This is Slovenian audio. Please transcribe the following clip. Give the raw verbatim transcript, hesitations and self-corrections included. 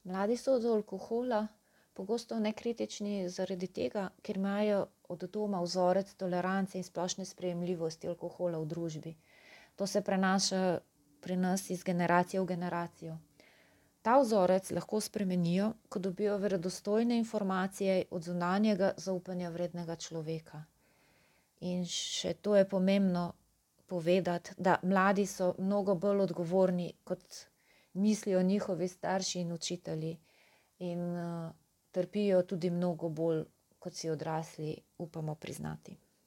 Mladi so do alkohola pogosto nekritični zaradi tega, ker imajo od doma vzorec tolerance in splošne sprejemljivosti alkohola v družbi. To se prenaša pri nas iz generacije v generacijo. Ta vzorec lahko spremenijo, ko dobijo verodostojne informacije od zunanjega zaupanja vrednega človeka. In še to je pomembno povedati, da mladi so mnogo bolj odgovorni, kot mislijo njihovi starši in učitelji. In uh, trpijo tudi mnogo bolj, kot si odrasli upamo priznati.